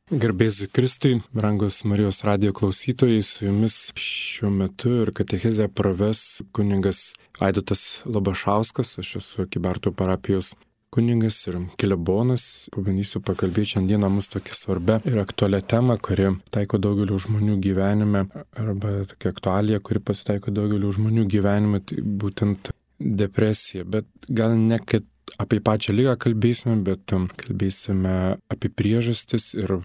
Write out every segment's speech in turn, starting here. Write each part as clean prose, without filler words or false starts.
Garbėsiu Kristui, brangus Marijos radijo klausytojai, su jumis šiuo metu ir katechezę praves kunigas Aidotas Labašauskas, aš esu Kybartų parapijos kunigas ir klebonas. Pabandysiu pakalbėti šiandieną mus tokia svarbia ir aktualia tema, kuri taiko daugelio žmonių gyvenime, arba tokia aktualija, kuri pasitaiko daugelio žmonių gyvenime, tai būtent depresija, bet gal ne kad apie pačią ligą kalbėsime, bet kalbėsime apie priežastis ir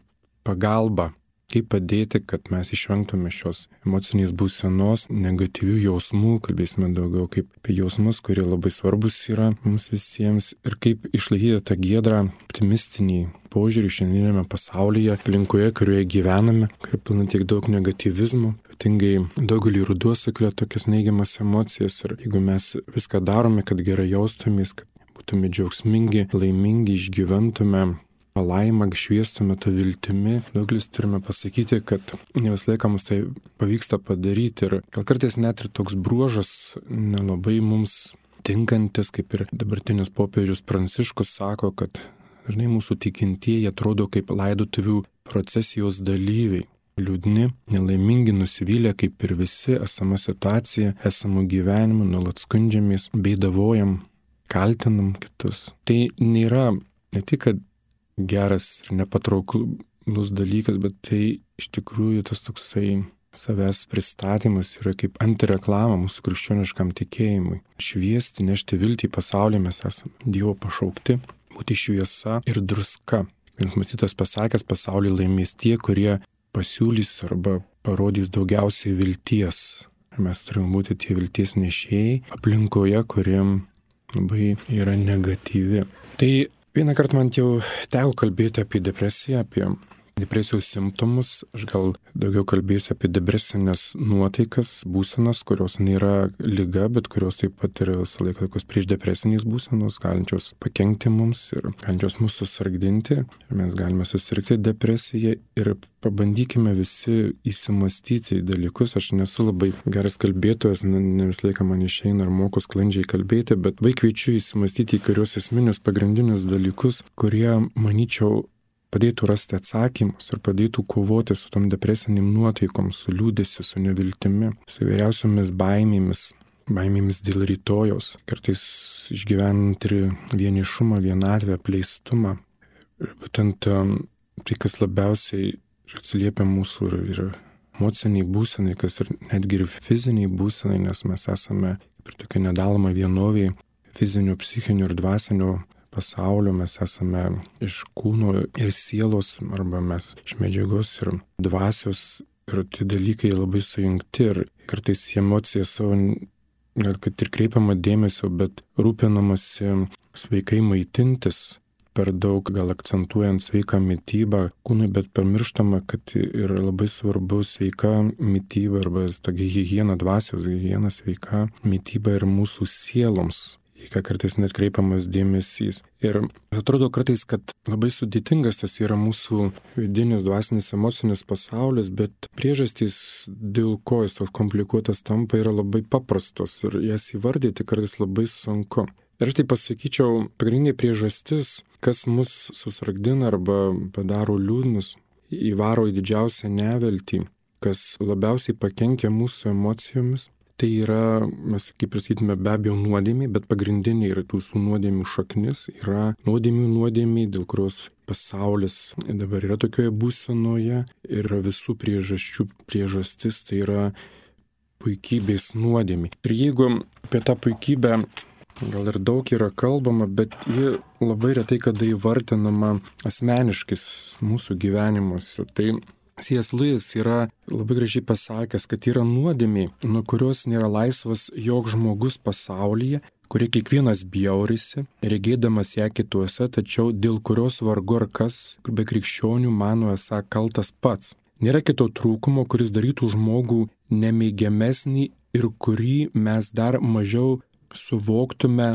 pagalbą, kaip padėti, kad mes išvengtume šios emocinės būsenos, negatyvių jausmų, kalbėsime daugiau kaip apie jausmus, kurie labai svarbus yra mums visiems ir kaip išlaikyti tą giedrą, optimistinį požiūrį šiandienėme pasaulyje, aplinkoje, kurioje gyvename, kur pilna tiek daug negatyvizmo, ypatingai daugelį ruduo sukelia tokias neigiamas emocijas ir jeigu mes viską darome, kad gerai jaustumės, kad būtume džiaugsmingi, laimingi, išgyventume palaimą, šviestume tą viltimi. Daugelis turime pasakyti, kad ne vis laiką mums tai pavyksta padaryti ir gal kartais net ir toks bruožas nelabai mums tinkantis, kaip ir dabartinis popiežius Pranciškus sako, kad dažnai mūsų tikintieji atrodo kaip laidotuvių procesijos dalyviai. Liūdni, nelaimingi, nusivylę kaip ir visi esama situacija, esamų gyvenimų, nuolat skundžiamės, beidavojam, kaltinam kitus. Tai nėra ne tik, kad geras ir nepatrauklus dalykas, bet tai iš tikrųjų tas toksai savęs pristatymas yra kaip antireklama mūsų krikščioniškam tikėjimui. Šviesti, nešti viltį į pasaulį, mes esame Dievo pašaukti, būti šviesa ir druska. Vienas mąstytojas pasakęs, pasaulį laimės tie, kurie pasiūlys arba parodys daugiausiai vilties. Ir mes turime būti tie vilties nešėjai aplinkoje, kuriem labai yra negatyvi. Tai vieną kartą man jau teko kalbėti apie depresiją, apie depresijos simptomus. Aš gal daugiau kalbėsiu apie depresinės nuotaikas, būsenas, kurios nėra liga, bet kurios taip pat yra visą laiką tokios priešdepresinės būsenos, galinčios pakenkti mums ir galinčios mus susargdinti. Ir mes galime susirgti depresiją ir pabandykime visi įsimastyti į dalykus. Aš nesu labai geras kalbėtojas, ne visą laiką man išeina ar moku sklandžiai kalbėti, bet kviečiu įsimastyti į kurios esminius pagrindinius dalykus, kurie, manyčiau, padėtų rasti atsakymus ir padėtų kovoti su tom depresiniam nuotaikom, su liūdėsi, su neviltimi, su įvairiausiomis baimėmis dėl rytojaus, kartais išgyvenant ir vienišumą, vienatvę, apleistumą. Ir būtent tai, kas labiausiai atsiliepia mūsų ir emociniai būsenai, kas ir netgi ir fiziniai būsenai, nes mes esame ir tokia nedaloma vienovė fizinio, psichinio ir dvasinio pasaulio, mes esame iš kūno ir sielos, arba mes iš medžiagos ir dvasios, ir tie dalykai labai sujungti ir kartais emocija savo, gal kad ir kreipiama dėmesio, bet rūpinamasi sveikai maitintis, per daug gal akcentuojant sveiką mitybą kūnui, bet pamirštama, kad yra labai svarbu sveika mityba arba tokia higiena, dvasios higiena, sveika mityba ir mūsų sieloms. Į ką kartais net kreipiamas dėmesys. Ir atrodo kartais, kad labai sudėtingas tas yra mūsų vidinis, dvasinis, emocinis pasaulis, bet priežastys, dėl ko jis toks komplikuotas tampa, yra labai paprastos ir jas įvardyti kartais labai sunku. Ir aš tai pasakyčiau, pagrindinė priežastis, kas mus susargdina arba padaro liūdnus, įvaro į didžiausią neviltį, kas labiausiai pakenkia mūsų emocijomis. Tai yra, mes kaip prisakytume, be abejo nuodėmiai, bet pagrindiniai yra tų nuodėmių šaknis, yra nuodėmiai, dėl kurios pasaulis dabar yra tokioje būsenoje ir visų priežastis, tai yra puikybės nuodėmiai. Ir jeigu apie tą puikybę gal ir daug yra kalbama, bet ji labai retai kada įvardinama asmeniškais mūsų gyvenimuose. Tai C.S. Lewis yra labai gražiai pasakęs, kad yra nuodėmė, nuo kurios nėra laisvas joks žmogus pasaulyje, kurie kiekvienas bjaurisi, regėdamas ją kituose, tačiau dėl kurios vargu ar kas be krikščionių mano esą kaltas pats. Nėra kito trūkumo, kuris darytų žmogų nemėgiamesnį ir kurį mes dar mažiau suvoktume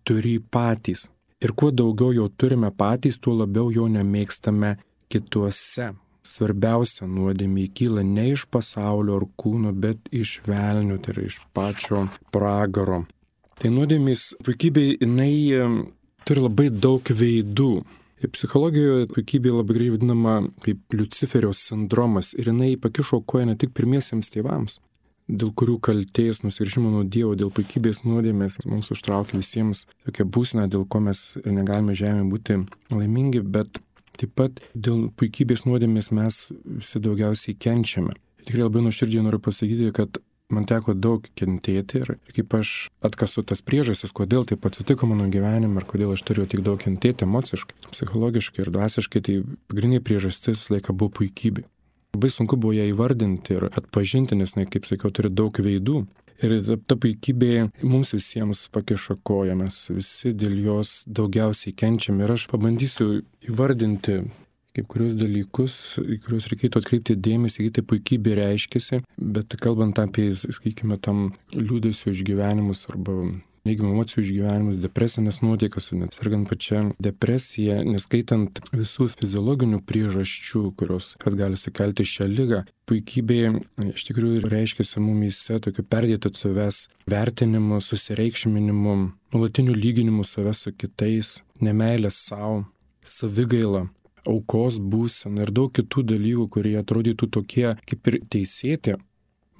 turį patys. Ir kuo daugiau jo turime patys, tuo labiau jo nemėgstame kituose. Svarbiausia nuodėmė kyla ne iš pasaulio ar kūno, bet iš velnio, tai yra iš pačio pragaro. Tai nuodėmės puikybė, jinai turi labai daug veidų. Psichologijoje puikybė labai gerai vadinama kaip Liuciferio sindromas ir jinai pakišo koją ne tik pirmiesiems tėvams, dėl kurių kaltės, nusigręžimo nuo Dievo, dėl puikybės nuodėmės mums užtraukia visiems tokia būsena, dėl ko mes negalime žemėje būti laimingi, bet taip pat dėl puikybės nuodėmės mes visi daugiausiai kenčiame. Tikrai labai nuoširdžiai noriu pasakyti, kad man teko daug kentėti ir kaip aš atkasu tas priežastis, kodėl taip atsitiko mano gyvenime ir kodėl aš turėjau tik daug kentėti emociškai, psichologiškai ir dvasiškai, tai pagrindinė priežastis laiką buvo puikybė. Labai sunku buvo ją įvardinti ir atpažinti, nes, kaip sakiau, turi daug veidų. Ir ta puikybė mums visiems pakiša koją, mes visi dėl jos daugiausiai kenčiame. Ir aš pabandysiu įvardinti kaip kurios dalykus, į kuriuos reikėtų atkreipti dėmesį, kai tai puikybė reiškiasi, bet kalbant apie, sakykime, tam liūdesio išgyvenimus arba neigiamų emocijų išgyvenimus, depresinės nuotaikas, net sergant pačią depresiją, neskaitant visų fiziologinių priežasčių, kurios gali sukelti šią ligą. Puikybė iš tikrųjų reiškiasi mumyse tokiu perdėtu savęs vertinimu, susireikšminimu, nuolatiniu lyginimu savęs su kitais, nemeilės savo, savigaila, aukos būsena ir daug kitų dalykų, kurie atrodytų tokie kaip ir teisėti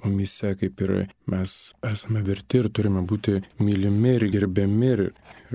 mumyse, kaip ir mes esame verti ir turime būti mylimi ir gerbiami ir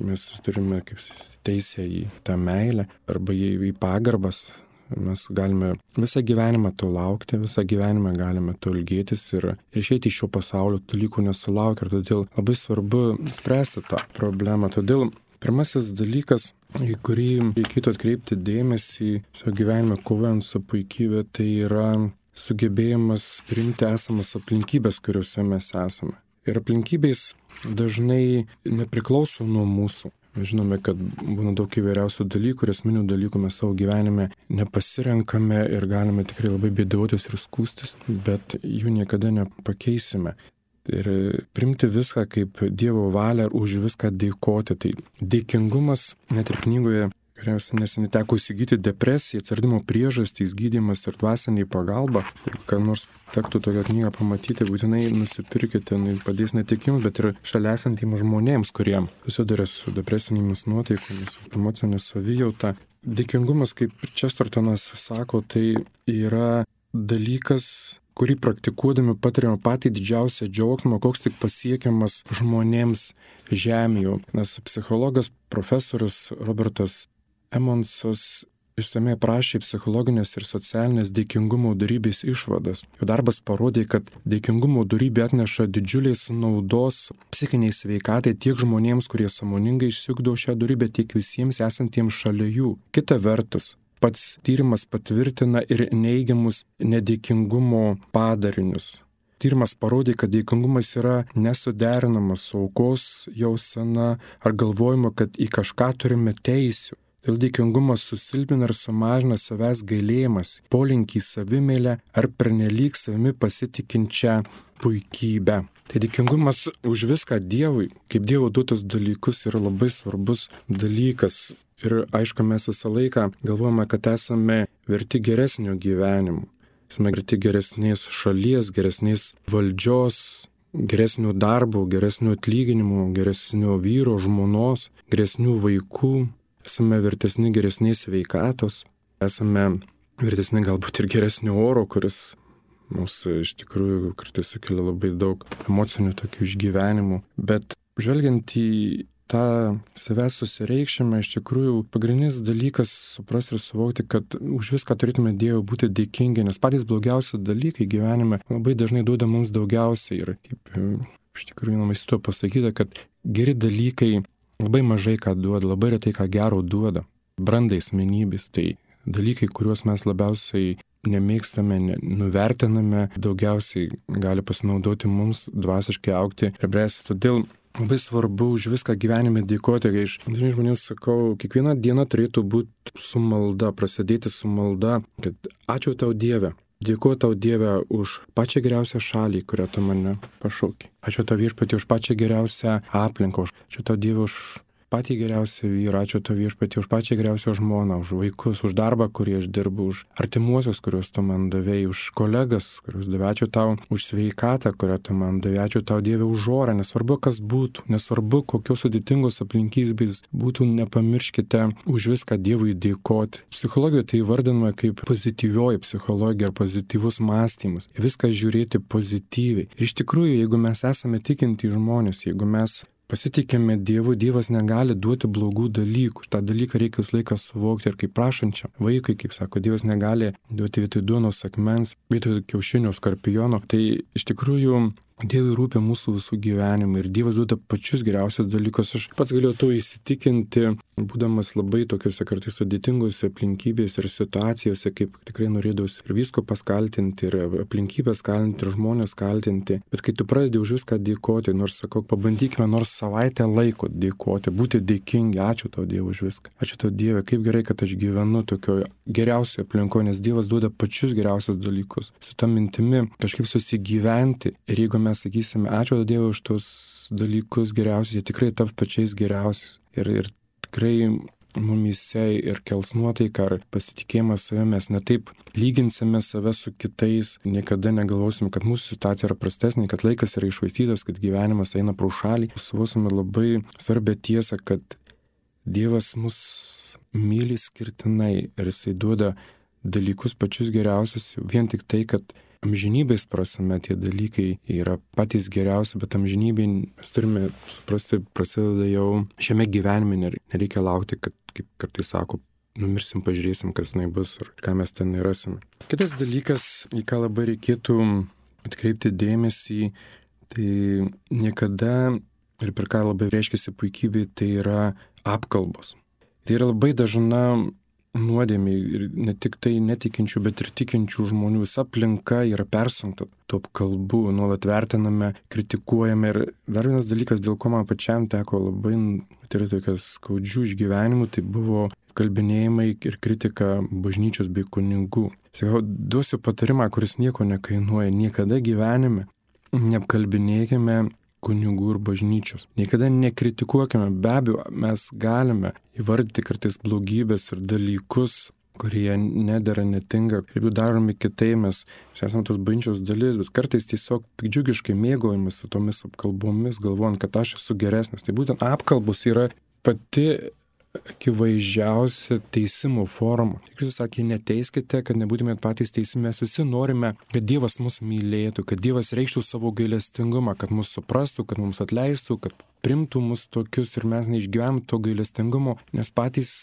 mes turime kaip teisę į tą meilę arba į pagarbas. Mes galime visą gyvenimą to laukti, visą gyvenimą galime to ilgėtis ir išeiti iš šio pasaulio dalykų nesulaukia ir todėl labai svarbu spręsti tą problemą. Todėl pirmasis dalykas, į kurį reikėtų atkreipti dėmesį savo gyvenime kovojant su puikybė, tai yra sugebėjimas priimti esamas aplinkybės, kuriuose mes esame. Ir aplinkybės dažnai nepriklauso nuo mūsų. Mes žinome, kad būna daug įvairiausių dalykų ir esminių dalykų mes savo gyvenime nepasirenkame ir galime tikrai labai bėdautis ir skūstis, bet jų niekada nepakeisime. Ir primti viską kaip Dievo valią ir už viską dėkoti. Tai dėkingumas, net ir knygoje, kurią neseniai teko įsigyti, depresija, atsiradimo priežastys, gydymas ir dvasiniai pagalba. Jeigu kam nors tektų tokią knygą pamatyti, būtinai nusipirkite, padės ne tik jums, bet ir šalia esantiems žmonėms, kurie susiduria su depresinėmis nuotaikomis, emocinė savijauta. Dėkingumas, kaip Chestertonas sako, tai yra dalykas, kurį praktikuodami patiriame patį didžiausią džiaugsmą, koks tik pasiekiamas žmonėms žemėje. Nes psichologas profesorius Robertas Emmonsas išsamei aprašė psichologinės ir socialinės dėkingumo dorybės išvadas. Jo darbas parodė, kad dėkingumo dorybė atneša didžiulės naudos psichiniai sveikatai tiek žmonėms, kurie sąmoningai išsiugdo šią dorybę, tiek visiems esantiems šalia jų. Kita vertus, pats tyrimas patvirtina ir neigiamus nedėkingumo padarinius. Tyrimas parodė, kad dėkingumas yra nesuderinamas su aukos jausena ar galvojimu, kad į kažką turime teisių. Dėl dėkingumas susilpina ir sumažina savęs gailėjimas, polinkį į savimeilę ar pernelyg savimi pasitikinčią puikybę. Tai dėkingumas už viską Dievui, kaip Dievo duotus dalykus, yra labai svarbus dalykas. Ir aišku, mes visą laiką galvojame, kad esame verti geresnio gyvenimo. Esame verti geresnės šalies, geresnės valdžios, geresnių darbų, geresnių atlyginimų, geresnių vyro, žmonos, geresnių vaikų. Esame vertesni geresnės sveikatos, esame vertesni galbūt ir geresnio oro, kuris mums iš tikrųjų kartais sukelia labai daug emocinių tokių išgyvenimų. Bet žvelgiant į tą savęs susireikšimą, iš tikrųjų pagrindinis dalykas suprasti ir suvokti, kad už viską turėtume Dievui būti dėkingi, nes patys blogiausi dalykai gyvenime labai dažnai duoda mums daugiausiai. Ir kaip iš tikrųjų mąstyto pasakyta, kad geri dalykai labai mažai ką duoda, labai retai ką gero duoda. Brandai asmenybės, tai dalykai, kuriuos mes labiausiai nemėgstame, nuvertiname, daugiausiai gali pasinaudoti mums dvasiškai augti ir bręsti. Todėl labai svarbu už viską gyvenime dėkoti, kai aš dažnai žmonėms sakau, kiekviena diena turėtų būti su malda, prasidėti su malda, kad ačiū tau Dieve. Dėkuoju tau Dieve už pačią geriausią šalį, kurią tu mane pašaukei. Ačiū tau Viešpatie už pačią geriausią aplinką. Ačiū tau Dieve už patį geriausią vyrą, ačiū tau viešpatie už pačią geriausią žmoną, už vaikus, už darbą, kurį aš dirbu, už artimuosius, kuriuos tu man davėjai, už kolegas, kuriuos davė, ačiū tau už sveikatą, kurią tu man davė, ačiū tau Dieve už orą, nesvarbu kas būtų, nesvarbu kokios sudėtingos aplinkybės būtų, nepamirškite už viską Dievui dėkoti. Psichologijoje tai įvardinama kaip pozityvioji psichologija ar pozityvus mąstymas, viską žiūrėti pozityviai. Ir iš tikrųjų, jeigu mes esame tikinti žmonės, jeigu mes pasitikime Dievu, Dievas negali duoti blogų dalykų. Tą dalyką reikia visą laiką suvokti ir kaip prašančiam vaikui, kaip sako, Dievas negali duoti vietoj duonos akmens, vietoj kiaušinio skorpiono. Tai iš tikrųjų Dievui rūpi mūsų visų gyvenimai ir Dievas duoda pačius geriausius dalykus. Aš pats galėjau to įsitikinti, būdamas labai tokiuose kartais sudėtingose aplinkybėse ir situacijose, kaip tikrai norėdavausi ir vyskupas kaltinti, ir aplinkybės kaltinti, ir žmonės kaltinti. Bet kai tu pradedi už viską dėkoti, nors sakau, pabandykime nors savaitę laiko dėkoti, būti dėkingi, ačiū tau Dieve už viską. Ačiū tau Dieve, kaip gerai, kad aš gyvenu tokioje geriausioje aplinkoje, nes Dievas duoda pačius geriausius dalykus. Su ta mintimi kažkaip susigyventi ir jeigu mes sakysime, ačiū Dievui už tos dalykus geriausius, jie tikrai taps pačiais geriausiais. Ir tikrai mumyse ir kels nuotaiką ar pasitikėjimą savimi, mes netaip lyginsime save su kitais, niekada negalvosim, kad mūsų situacija yra prastesnė, kad laikas yra iššvaistytas, kad gyvenimas eina pro šalį. Suvosime labai svarbią tiesą, kad Dievas mus myli skirtinai ir Jisai duoda dalykus pačius geriausius, vien tik tai, kad amžinybės prasme tie dalykai yra patys geriausi, bet amžinybėj mes turime suprasti, prasideda jau šiame gyvenime, nereikia laukti, kad, kaip kartais sako, numirsim, pažiūrėsim, kas tenai bus ir ką mes ten rasim. Kitas dalykas, į ką labai reikėtų atkreipti dėmesį, tai niekada, ir per ką labai reiškiasi puikybė, tai yra apkalbos. Tai yra labai dažna nuodėmė ir ne tik tai netikinčių, bet ir tikinčių žmonių. Visa aplinka yra persunkta tų apkalbų, nuolat vertiname, kritikuojame. Ir dar vienas dalykas, dėl ko man pačiam teko labai turėti tokias skaudžių išgyvenimų, tai buvo kalbinėjimai ir kritika bažnyčios bei kunigų. Sakau, duosiu patarimą, kuris nieko nekainuoja. Niekada gyvenime neapkalbinėkime kunigų ir bažnyčios. Niekada nekritikuokime, be abejo, mes galime įvardyti kartais blogybės ir dalykus, kurie nedera, netinka, ir jų daromi kitai, mes esame tos bažnyčios dalis, bet kartais tiesiog pikdžiugiškai mėgaujamės tomis apkalbomis, galvojant, kad aš esu geresnis. Tai būtent apkalbos yra pati akivaizdžiausia teisimo forma. Kristus sakė, neteiskite, kad nebūtumėt patys teisimi. Mes visi norime, kad Dievas mus mylėtų, kad Dievas reikštų savo gailestingumą, kad mus suprastų, kad mums atleistų, kad primtų mus tokius ir mes neišgyvenam to gailestingumo, nes patys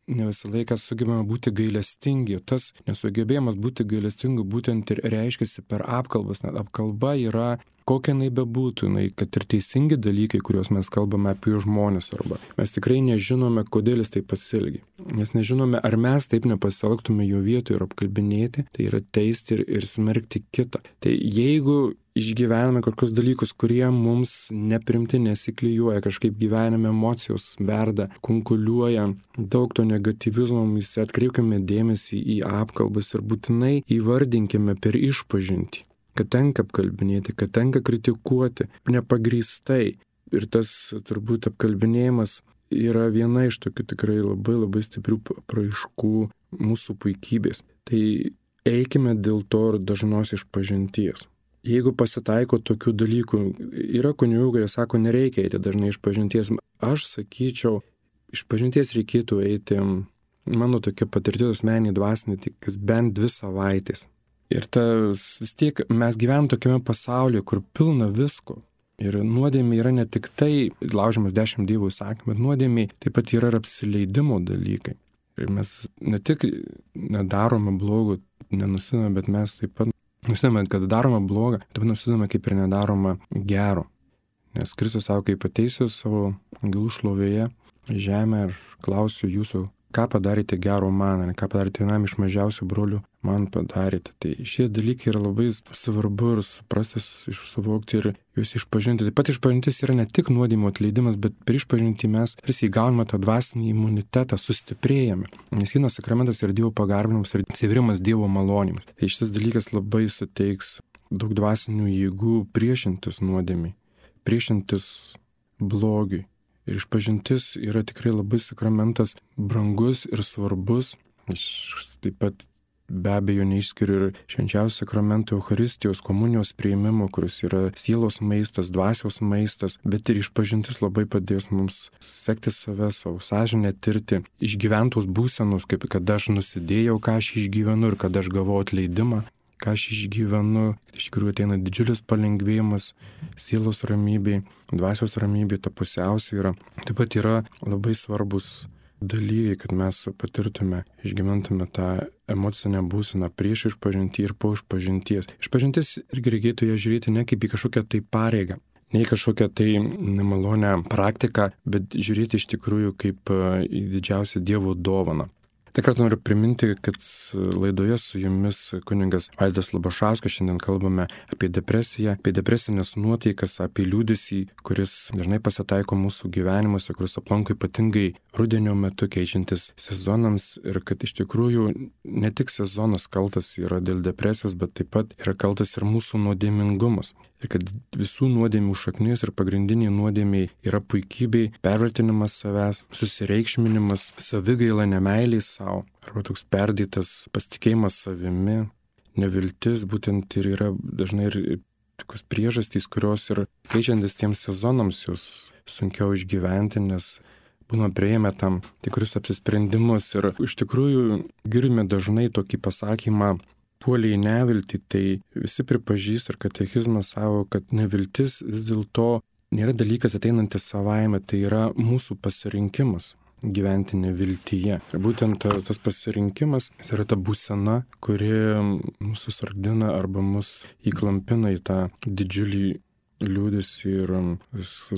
ne visą laiką sugebame būti gailestingi. Tas nesugebėjimas būti gailestingu būtent ir reiškiasi per apkalbas. Net apkalba yra, kokia jinai bebūtų, kad ir teisingi dalykai, kuriuos mes kalbame apie žmonės, arba mes tikrai nežinome, kodėl jis taip pasielgia. Mes nežinome, ar mes taip nepasielgtume jo vietoje ir apkalbinėti, tai yra teisti ir smerkti kitą. Tai jeigu išgyvename kokius dalykus, kurie mums neprimti, nesiklijuoja, kažkaip gyvenime emocijos verda, kunkuliuoja, daug to negatyvizmo, mes atkreipkime dėmesį į apkalbas ir būtinai įvardinkime per išpažintį, kad tenka apkalbinėti, kad tenka kritikuoti nepagrįstai. Ir tas turbūt apkalbinėjimas yra viena iš tokių tikrai labai labai stiprių apraiškų mūsų puikybės. Tai eikime dėl to ir dažnos išpažinties. Jeigu pasitaiko tokių dalykų, yra kunigų, kurie sako, nereikia eiti dažnai išpažinties. Aš sakyčiau, išpažinties reikėtų eiti, mano tokia patirtis asmeninė dvasinė, tik kas bent 2 savaitės. Ir vis tiek mes gyvenam tokiame pasaulyje, kur pilna visko. Ir nuodėmė yra ne tik tai laužiamas 10 Dievo įsakymų, bet nuodėmė taip pat yra ir apsileidimo dalykai. Ir mes ne tik nedarome blogo, nenusidame, bet mes taip pat nusidame, kad darome blogą, taip nusidame kaip ir nedarome gero. Nes Kristus sako, kaip ateisiu savo angelų šlovėje žemę ir klausiu jūsų, ką padarėte gero man, ką padarėte vienam iš mažiausių brolių, man padarėte. Tai šie dalykai yra labai svarbu ir suprastis, suvokti ir juos išpažinti. Taip pat išpažintis yra ne tik nuodėmių atleidimas, bet per išpažinti mes tarsi įgauname tą dvasinį imunitetą, sustiprėjame. Nes vienas sakramentas yra Dievo pagarbinimas ir atsivėrimas Dievo malonėmis. Tai šitas dalykas labai suteiks daug dvasinių jėgų priešintis nuodėmiai, priešintis blogiui Ir išpažintis yra tikrai labai sakramentas brangus ir svarbus. Aš taip pat be abejo neišskiriu ir švenčiausio sakramento Eucharistijos komunijos priėmimo, kuris yra sielos maistas, dvasios maistas, bet ir išpažintis labai padės mums sekti save, savo sąžinę tirti, išgyventos būsenos, kaip kad aš nusidėjau, ką aš išgyvenu ir kad aš gavau atleidimą, ką aš išgyvenu. Iš tikrųjų ateina didžiulis palengvėjimas sielos ramybei, dvasios ramybei, ta pusiausvyra. Taip pat yra labai svarbus dalykai, kad mes patirtume, išgyventume tą emocinę būseną prieš išpažintį ir po išpažinties. Išpažintis irgi reikėtų ją žiūrėti ne kaip į kažkokią tai pareigą, ne į kažkokią tai nemalonę praktiką, bet žiūrėti iš tikrųjų kaip į didžiausią Dievo dovaną. Tik kartą noriu priminti, kad laidoje su jumis kunigas Aidas Labašauskas. Šiandien kalbame apie depresiją, apie depresinės nuotaikas, apie liūdesį, kuris dažnai pasitaiko mūsų gyvenimuose, kuris aplanko ypatingai rudenio metu keičiantis sezonams, ir kad iš tikrųjų ne tik sezonas kaltas yra dėl depresijos, bet taip pat yra kaltas ir mūsų nuodėmingumas. Ir kad visų nuodėmių šaknis ir pagrindiniai nuodėmiai yra puikybei, pervertinimas savęs, susireikšminimas, savigaila, nemeilė savo, arba toks perdėtas pasitikėjimas savimi, neviltis, būtent ir yra dažnai ir tokios priežastys, kurios ir keičiantis tiems sezonams jos sunkiau išgyventi, nes būna prieėmę tam tikrus apsisprendimus. Ir iš tikrųjų girdime dažnai tokį pasakymą, puolė į neviltį, tai visi pripažįsta ir katekizmas savo, kad neviltis vis dėlto nėra dalykas ateinantis savaime, tai yra mūsų pasirinkimas gyventi neviltyje. Ir būtent tas pasirinkimas yra ta būsena, kuri mūsų sargdina arba mus įklampina į tą didžiulį liūdesį ir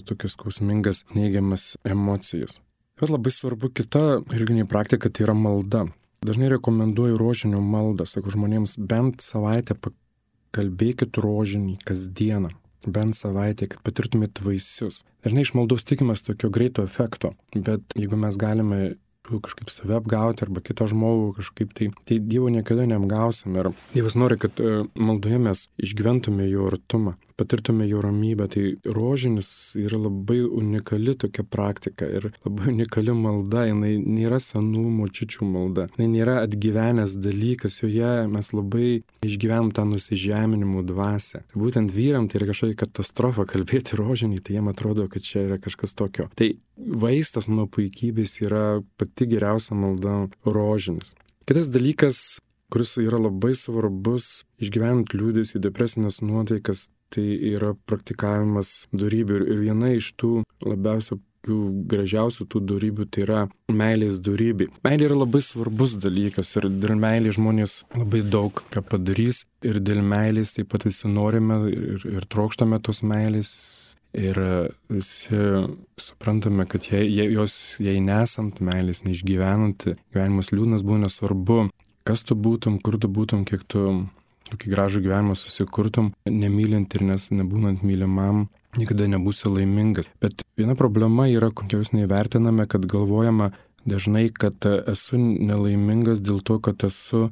tokias skausmingas neigiamas emocijas. Ir labai svarbu kita religinė praktika, tai yra malda. Dažnai rekomenduoju rožinio maldą, sakau žmonėms, bent savaitę pakalbėkit rožinį kasdieną, bent savaitę, kad patirtumėt vaisius. Dažnai iš maldos tikimės tokio greito efekto, bet jeigu mes galime kažkaip save apgauti arba kitą žmogų kažkaip tai Dievo niekada neapgausim. Ir Dievas nori, kad maldoje mes išgyventume jo artumą, patirtume jo ramybę. Tai rožinis yra labai unikali tokia praktika ir labai unikali malda. Jinai nėra senų močiučių malda, jinai nėra atgyvenęs dalykas, joje mes labai išgyvenam tą nusižeminimų dvasią. Ir būtent vyram tai yra kažkokia katastrofa kalbėti rožinį, tai jiem atrodo, kad čia yra kažkas tokio. Tai vaistas nuo puikybės yra pati geriausia malda rožinis. Kitas dalykas, kuris yra labai svarbus išgyvenant liūdesį, depresinės nuotaikas, tai yra praktikavimas dorybių. Ir viena iš tų labiausiai gražiausių tų dorybių tai yra meilės dorybė. Meilė yra labai svarbus dalykas ir dėl meilės žmonės labai daug ką padarys. Ir dėl meilės taip pat visi norime ir trokštame tos meilės. Ir visi suprantame, kad jei nesant meilės, neišgyvenant, gyvenimas liūdnas būna, nesvarbu, kas tu būtum, kur tu būtum, kiek tu tokį gražų gyvenimą susikurtum, nemylint ir nebūnant mylimam, niekada nebūsi laimingas. Bet viena problema yra, kurios neįvertiname, kad galvojama dažnai, kad esu nelaimingas dėl to, kad esu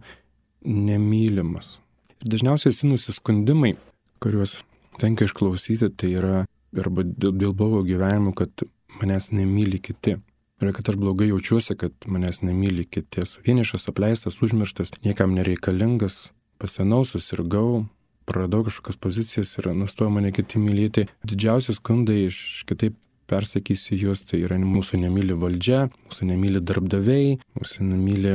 nemylimas. Ir dažniausiai visi nusiskundimai, kuriuos tenka išklausyti, tai yra arba dėl blogo gyvenimo, kad manęs nemyli kiti. Ir kad aš blogai jaučiuosi, kad manęs nemyli kiti. Esu vienišas, apleistas, užmirštas, niekam nereikalingas, pasenau, susirgau, praradau kažkokias pozicijas ir nustojo mane kiti mylėti. Didžiausi skundai, kitaip persakysiu juos, tai yra mūsų nemyli valdžia, mūsų nemyli darbdaviai, mūsų nemyli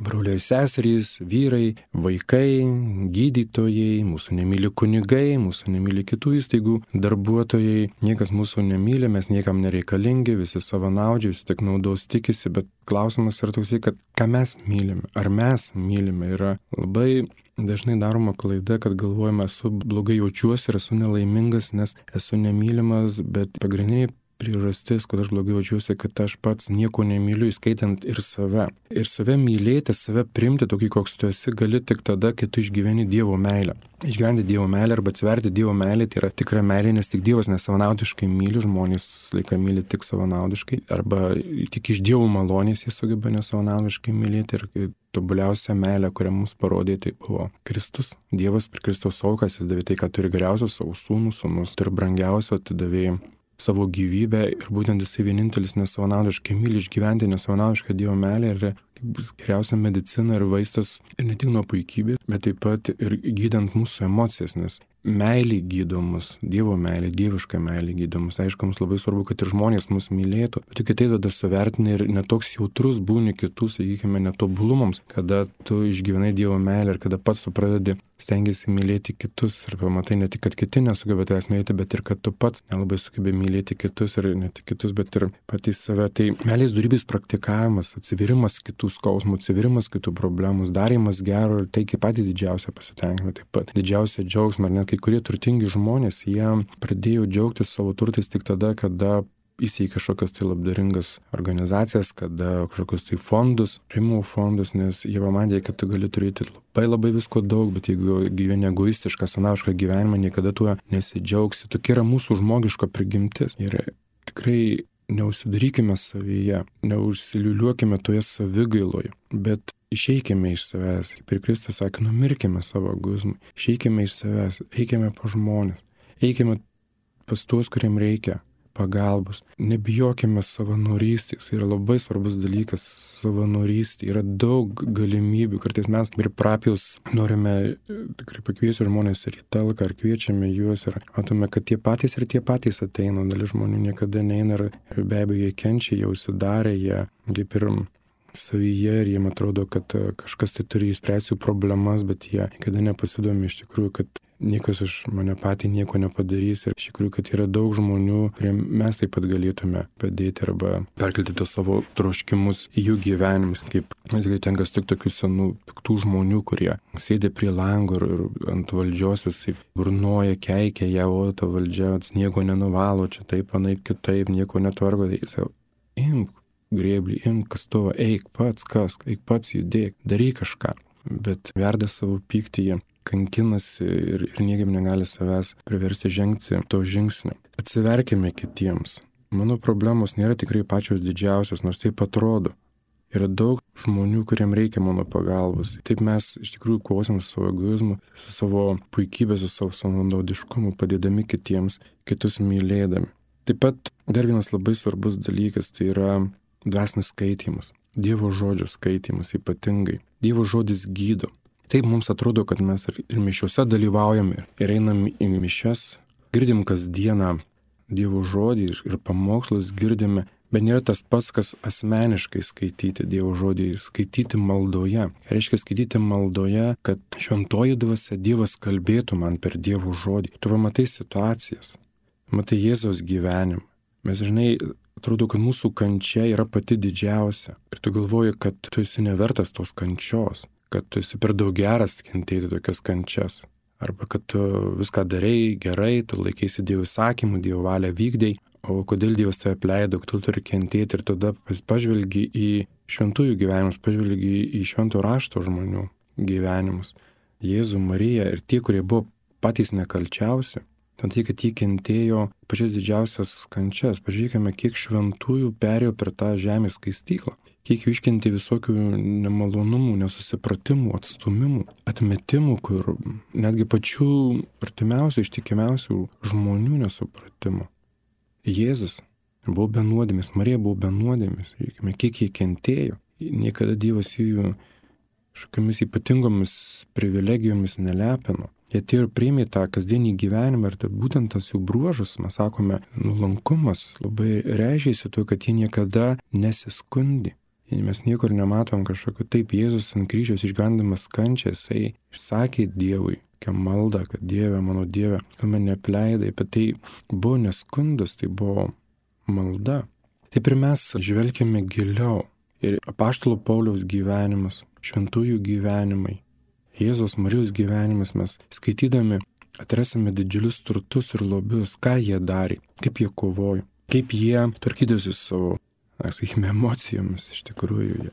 broliai seserys, vyrai, vaikai, gydytojai, mūsų nemyli kunigai, mūsų nemyli kitų įstaigų darbuotojai, niekas mūsų nemyli, mes niekam nereikalingi, visi savanaudžiai, visi tik naudos tikisi, bet klausimas yra toksai, kad ką mes mylime, ar mes mylime, yra labai dažnai daroma klaida, kad galvojame, esu blogai jaučiuosi ir esu nelaimingas, nes esu nemylimas, bet pagrindiniai priežastis, kad aš blogai jaučiuosi, kad aš pats nieko nemyliu, įskaitant ir save. Ir save mylėti, save priimti tokį, koks tu esi, gali tik tada, kai tu išgyveni Dievo meilę. Išgyventi Dievo meilę arba atsiverti Dievo meilę, tai yra tikra meilė, nes tik Dievas nesavanaudiškai myli, žmonės laiką myli tik savanaudiškai, arba tik iš Dievo malonės jie sugeba nesavanaudiškai mylėti. Ir tobuliausia meilė, kurią mums parodė, tai buvo Kristus. Dievas per Kristaus aukas atidavė tai, ką turi geriausios, savo sūnus turi brangiausio, atidavė savo gyvybę ir būtent jisai vienintelis nesavanaudiškai myli išgyventi nesavanaudišką Dievo meilę ir bus geriausia medicina ir vaistas ir ne tik nuo puikybės, bet taip pat ir gydant mūsų emocijas, nes meilė gydo mus, Dievo meilė, dieviška meilė gydo mus. Aišku, mums labai svarbu, kad ir žmonės mus mylėtų, bet tik tai tada suvertinai ir netoks jautrus būni kitų, sakykime, netobulumams, kada tu išgyvenai Dievo meilę ir kada pats tu pradedi stengiasi mylėti kitus ir pamatai ne tik, kad kiti nesugeba tavęs mylėti, bet ir kad tu pats nelabai sugebi mylėti kitus ir ne tik kitus, bet ir patys save. Tai meilės dorybės praktikavimas, atsivirimas kitų skausmų, atsivirimas kitų problemų, darymas gero ir tai kaip patį didžiausią pasitenkinimą, taip pat didžiausią džiaugsmą. Ir net kai kurie turtingi žmonės, jie pradėjo džiaugtis savo turtais tik tada, kada įsteigė kažkokias tai labdaringas organizacijas, kada kažkokius tai fondus, rėmimo fondus, nes jie pamatė, kad tu gali turėti labai visko daug, bet jeigu gyveni egoistišką, sanavišką gyvenimą, niekada tuo nesidžiaugsi. Tokia yra mūsų žmogiška prigimtis. Ir tikrai neužsidarykime savyje, neužsiliuliuokime toje savigailoje, bet išeikime iš savęs. Kaip ir Kristus sakė, numirkime savo egoizmui, išeikime iš savęs, eikime po žmonės, eikime pas tuos, kuriem reikia pagalbos. Nebijokime savanorystės, yra labai svarbus dalykas savanorystė, yra daug galimybių, kartais mes ir parapijos norime tikrai pakviesti žmonės ir į talką, ar kviečiame juos ir matome, kad tie patys ateina, dalis žmonių niekada neina ir be abejo jie kenčia, jie užsidarė, jie kaip ir savyje ir jiem atrodo, kad kažkas tai turi išspręsti jų problemas, bet jie niekada nepasidomi iš tikrųjų, kad niekas už mane patį nieko nepadarys ir iš tikrųjų, kad yra daug žmonių, kuriem mes taip pat galėtume padėti arba perkelti tos savo troškimus į jų gyvenimus. Kaip tikrai tenka sutikti tokių senų piktų žmonių, kurie sėdi prie lango ir ant valdžios jisai burnoja, keikia ją, o ta valdžia nieko nenuvalo, čia taip, anaip kitaip, nieko netvarko, tai jisai imk grėblį, imk kastuvą, eik pats kask, eik pats judėk, daryk kažką, bet verda savo pyktį, jie kankinasi ir niekaip negali savęs priversti žengti to žingsnio. Atsiverkime kitiems. Mano problemos nėra tikrai pačios didžiausios, nors taip atrodo. Yra daug žmonių, kuriem reikia mano pagalbos. Taip mes iš tikrųjų kovosim su savo egoizmu, su savo puikybė, su savo savanaudiškumu, padėdami kitiems, kitus mylėdami. Taip pat dar vienas labai svarbus dalykas, tai yra dvasinis skaitymas. Dievo žodžio skaitymas ypatingai. Dievo žodis gydo. Taip mums atrodo, kad mes ir mišiuose dalyvaujame ir einam į mišias, girdim kasdieną Dievo žodį ir pamokslus girdime, bet nėra tas pats, kas asmeniškai skaityti Dievo žodį, skaityti maldoje. Reiškia skaityti maldoje, kad šventoji dvasia Dievas kalbėtų man per Dievo žodį. Tu pamatai situacijas, matai Jėzaus gyvenimą. Mes žinai, atrodo, kad mūsų kančia yra pati didžiausia. Ir tu galvoji, kad tu esi nevertas tos kančios, kad tu esi per daug geras kentėti tokias kančias. Arba kad tu viską darei gerai, tu laikėsi Dievo įsakymų, Dievo valią vykdei, o kodėl Dievas tave apleido, kad tu turi kentėti ir tada pažvelgi į šventųjų gyvenimus, pažvelgi į švento rašto žmonių gyvenimus. Jėzų, Mariją ir tie, kurie buvo patys nekalčiausi. Tai, kad jie kentėjo pačias didžiausias kančias. Pažiūrėkime, kiek šventųjų perėjo per tą žemės skaistyklą. Kiek jų iškentė visokių nemalonumų, nesusipratimų, atstumimų, atmetimų, kur netgi pačių artimiausių, ištikimiausių žmonių nesupratimų. Jėzus buvo be nuodėmės, Marija buvo be nuodėmės. Žiūrėkime, kiek jie kentėjo. Niekada Dievas jų kažkokiamis ypatingomis privilegijomis nelepino. Jie atėjo ir priėmė tą kasdienį gyvenimą ir būtent tas jų bruožus, mes sakome, nuolankumas labai reiškėsi tuo, kad jie niekada nesiskundi. Mes niekur nematom kažkokio taip, Jėzus ant kryžiaus išgyvendamas kančią, jisai išsakė Dievui, kokią maldą, kad Dieve, mano Dieve, gal mane neapleidai, bet tai buvo neskundas, tai buvo malda. Taip ir mes žvelgiame giliau ir apaštalo Pauliaus gyvenimas, šventųjų gyvenimai, Jėzaus Marijos gyvenimas mes skaitydami atrasime didžiulius turtus ir lobius, ką jie darė, kaip jie kovojo, kaip jie tvarkydavosi savo, sakykime, emocijomis iš tikrųjų.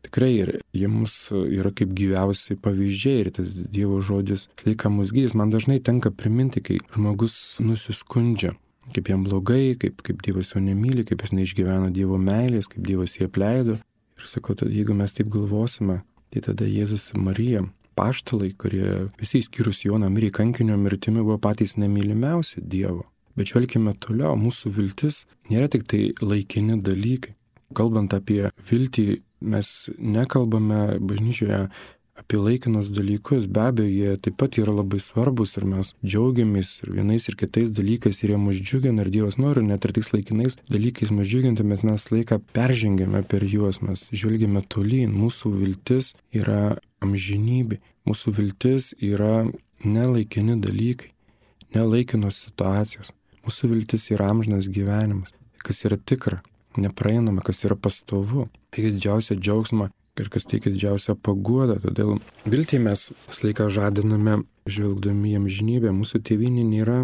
Tikrai ir jie mums yra kaip gyviausiai pavyzdžiai ir tas Dievo žodis laika mus gydys. Man dažnai tenka priminti, kai žmogus nusiskundžia, kaip jam blogai, kaip Dievas jo nemyli, kaip jis neišgyvena Dievo meilės, kaip Dievas jį apleido. Ir sakau, jeigu mes taip galvosime, tai tada Jėzus ir Marija, apaštalai, kurie visi išskyrus Joną mirė kankinio mirtimi, buvo patys nemylimiausi Dievo. Bet žvelkime toliau, mūsų viltis nėra tik tai laikini dalykai. Kalbant apie viltį, mes nekalbame bažnyčioje apie laikinus dalykus, be abejo, jie taip pat yra labai svarbus ir mes džiaugiamės ir vienais ir kitais dalykais ir jie mus džiugina ir Dievas nori net ir tais laikinais dalykais mus džiuginti, bet mes laiką peržengėme per juos, mes žvelgiame tolyn, mūsų viltis yra amžinybė, mūsų viltis yra nelaikini dalykai, nelaikinos situacijos, mūsų viltis yra amžinas gyvenimas, kas yra tikra, nepraeinama, kas yra pastovu, tai didžiausia džiaugsma ir kas teikia didžiausią paguodą. Todėl viltį mes visą laiką žadiname žvelgdami į amžinybę. Mūsų tėvynė nėra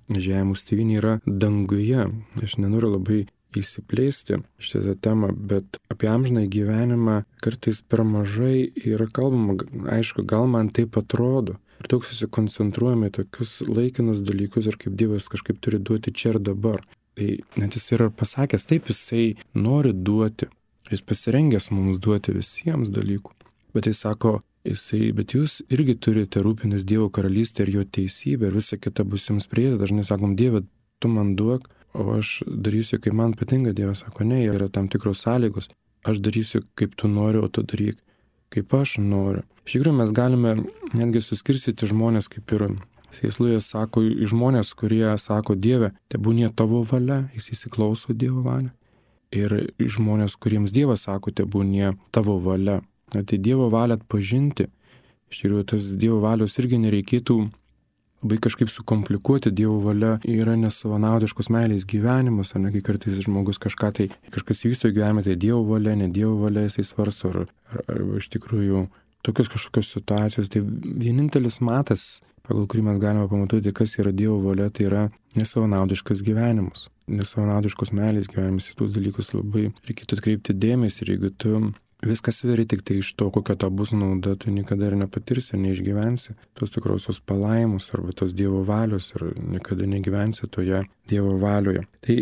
žemė, mūsų tėvynė yra danguje. Aš nenoriu labai įsiplėsti šitą temą, bet apie amžiną gyvenimą kartais per mažai yra kalbama. Aišku, gal man taip atrodo. Ir daug susikoncentruojame į tokius laikinus dalykus ir kaip Dievas kažkaip turi duoti čia ir dabar. Tai net jis yra pasakęs, taip jisai nori duoti. Jis pasirengęs mums duoti visiems dalykų. Bet jis sako, bet jūs irgi turite rūpintis Dievo karalystę ir jo teisybę ir visa kita bus jums prieita. Dažnai sakom, Dieve, tu man duok, o aš darysiu, kaip man patinka. Dievas sako, ne, yra tam tikros sąlygos. Aš darysiu, kaip tu nori, o tu daryk, kaip aš noriu. Iš tikrųjų, mes galime netgi suskirstyti žmonės, kaip ir Sėslujas sako, žmonės, kurie sako, Dieve, tebūnie tavo valia, jis įsiklauso Dievo valią. Ir žmonės, kuriems Dievas sako, tebūnie tavo valia. Tai Dievo valią atpažinti, iš tikrųjų tas Dievo valios irgi nereikėtų labai kažkaip sukomplikuoti. Dievo valia yra nesavanaudiškos meilės gyvenimas, ar ne, kai kartais žmogus kažkas vysto gyvenime, tai Dievo valia, ne Dievo valia, jisai svarsto, ar iš tikrųjų tokios kažkokios situacijos. Tai vienintelis matas, pagal kurį mes galime pamatyti, kas yra Dievo valia, tai yra nesavanaudiškas gyvenimas. Nesavanaudiškos meilės gyvenimas, į tuos dalykus labai reikėtų atkreipti dėmesį ir jeigu tu viskas sveri tik tai iš to, kokia ta bus nauda, tu niekada ir nepatirsi, neišgyvensi tos tikrosios palaimos arba tos Dievo valios ir niekada negyvensi toje Dievo valioje. Tai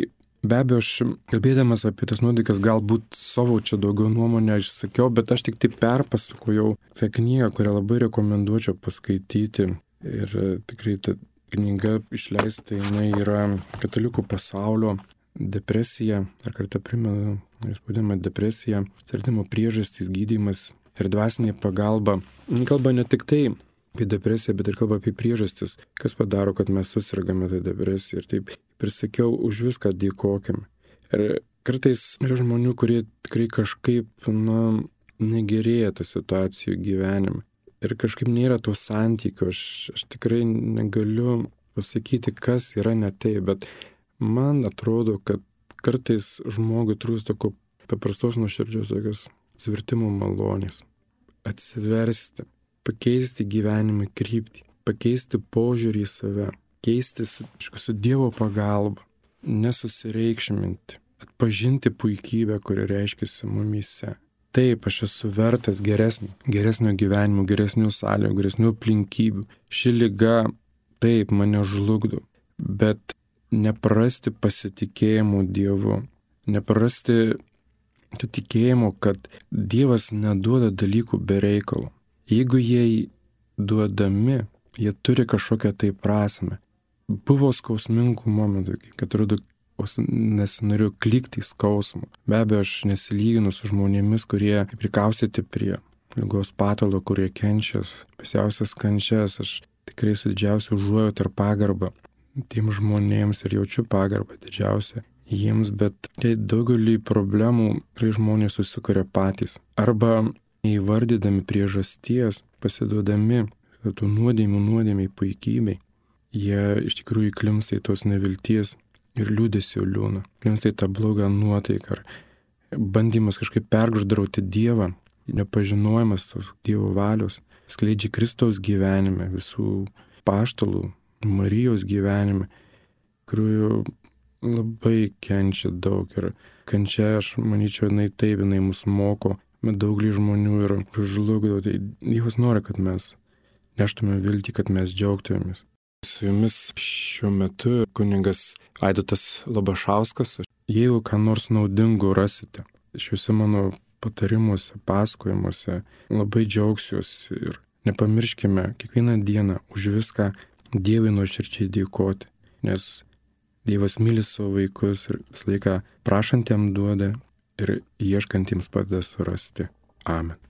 be abejo, aš kalbėdamas apie tas nuodykas galbūt savo čia daugiau nuomonę išsakiau, bet aš tik tai perpasakojau tą knygą, kurią labai rekomenduočiau paskaityti ir tikrai ta knyga išleista, jinai yra Katalikų pasaulio depresija, dar kartą primenu, jūs vadinama depresija, atsiradimo priežastys, gydymas ir dvasinė pagalba. Kalba ne tik tai apie depresiją, bet ir kalba apie priežastis, kas padaro, kad mes susirgame tą depresiją. Ir taip, ir sakiau, už viską dėkokime. Ir kartais yra žmonių, kurie tikrai kažkaip, negerėja tą situacijų gyvenime. Ir kažkaip nėra to santykio, aš tikrai negaliu pasakyti, kas yra ne taip, bet man atrodo, kad kartais žmogui trūksta tokio paprastos nuoširdžios tokios atsivertimo malonės. Atsiversti, pakeisti gyvenimą kryptį, pakeisti požiūrį į save, keisti su Dievo pagalba, nesusireikšminti, atpažinti puikybę, kuri reiškiasi mumyse. Taip, aš esu vertas geresnio gyvenimo, geresnių sąlygų, geresnių aplinkybių. Ši liga, taip, mane žlugdo, bet neprarasti pasitikėjimo Dievu, neprarasti to tikėjimo, kad Dievas neduoda dalykų be reikalo. Jeigu jie duodami, jie turi kažkokią tai prasmę. Buvo skausmingų momentų, kad atrodo, nesinoriu klikti į skausmą. Be abejo, aš nesilyginu su žmonėmis, kurie prikaustyti prie ligos patalo, kurie kenčia, pasiausias kančias. Aš tikrai su didžiausiu užuojauta ir pagarba tiem žmonėms ir jaučiu pagarbą didžiausią jiems, bet tai daugelį problemų žmonės susikuria patys. Arba neįvardydami priežasties, pasiduodami tų nuodėmiai puikybei, jie iš tikrųjų įklimpsta į tos nevilties ir liūdesio liūną. Klimpsta į tą blogą nuotaiką ar bandymas kažkaip perguždrauti Dievą, nepažinojimas tos Dievo valios, skleidžia Kristaus gyvenime, visų paštalų, Marijos gyvenime, kurių labai kenčia daug ir kančia, aš manyčiau, jinai mus moko, bet daugelį žmonių ir žlugdo. Tai Dievas nori, kad mes neštume viltį, kad mes džiaugtumėmės. Su jumis šiuo metu kunigas Aidotas Labašauskas. Jeigu ką nors naudingo rasite šiuose mano patarimuose, pasakojimuose, labai džiaugsiuosi ir nepamirškime kiekvieną dieną už viską Dievui nuoširdžiai dėkoti, nes Dievas myli savo vaikus ir visą laiką prašantiem duoda ir ieškantiems padeda surasti. Amen.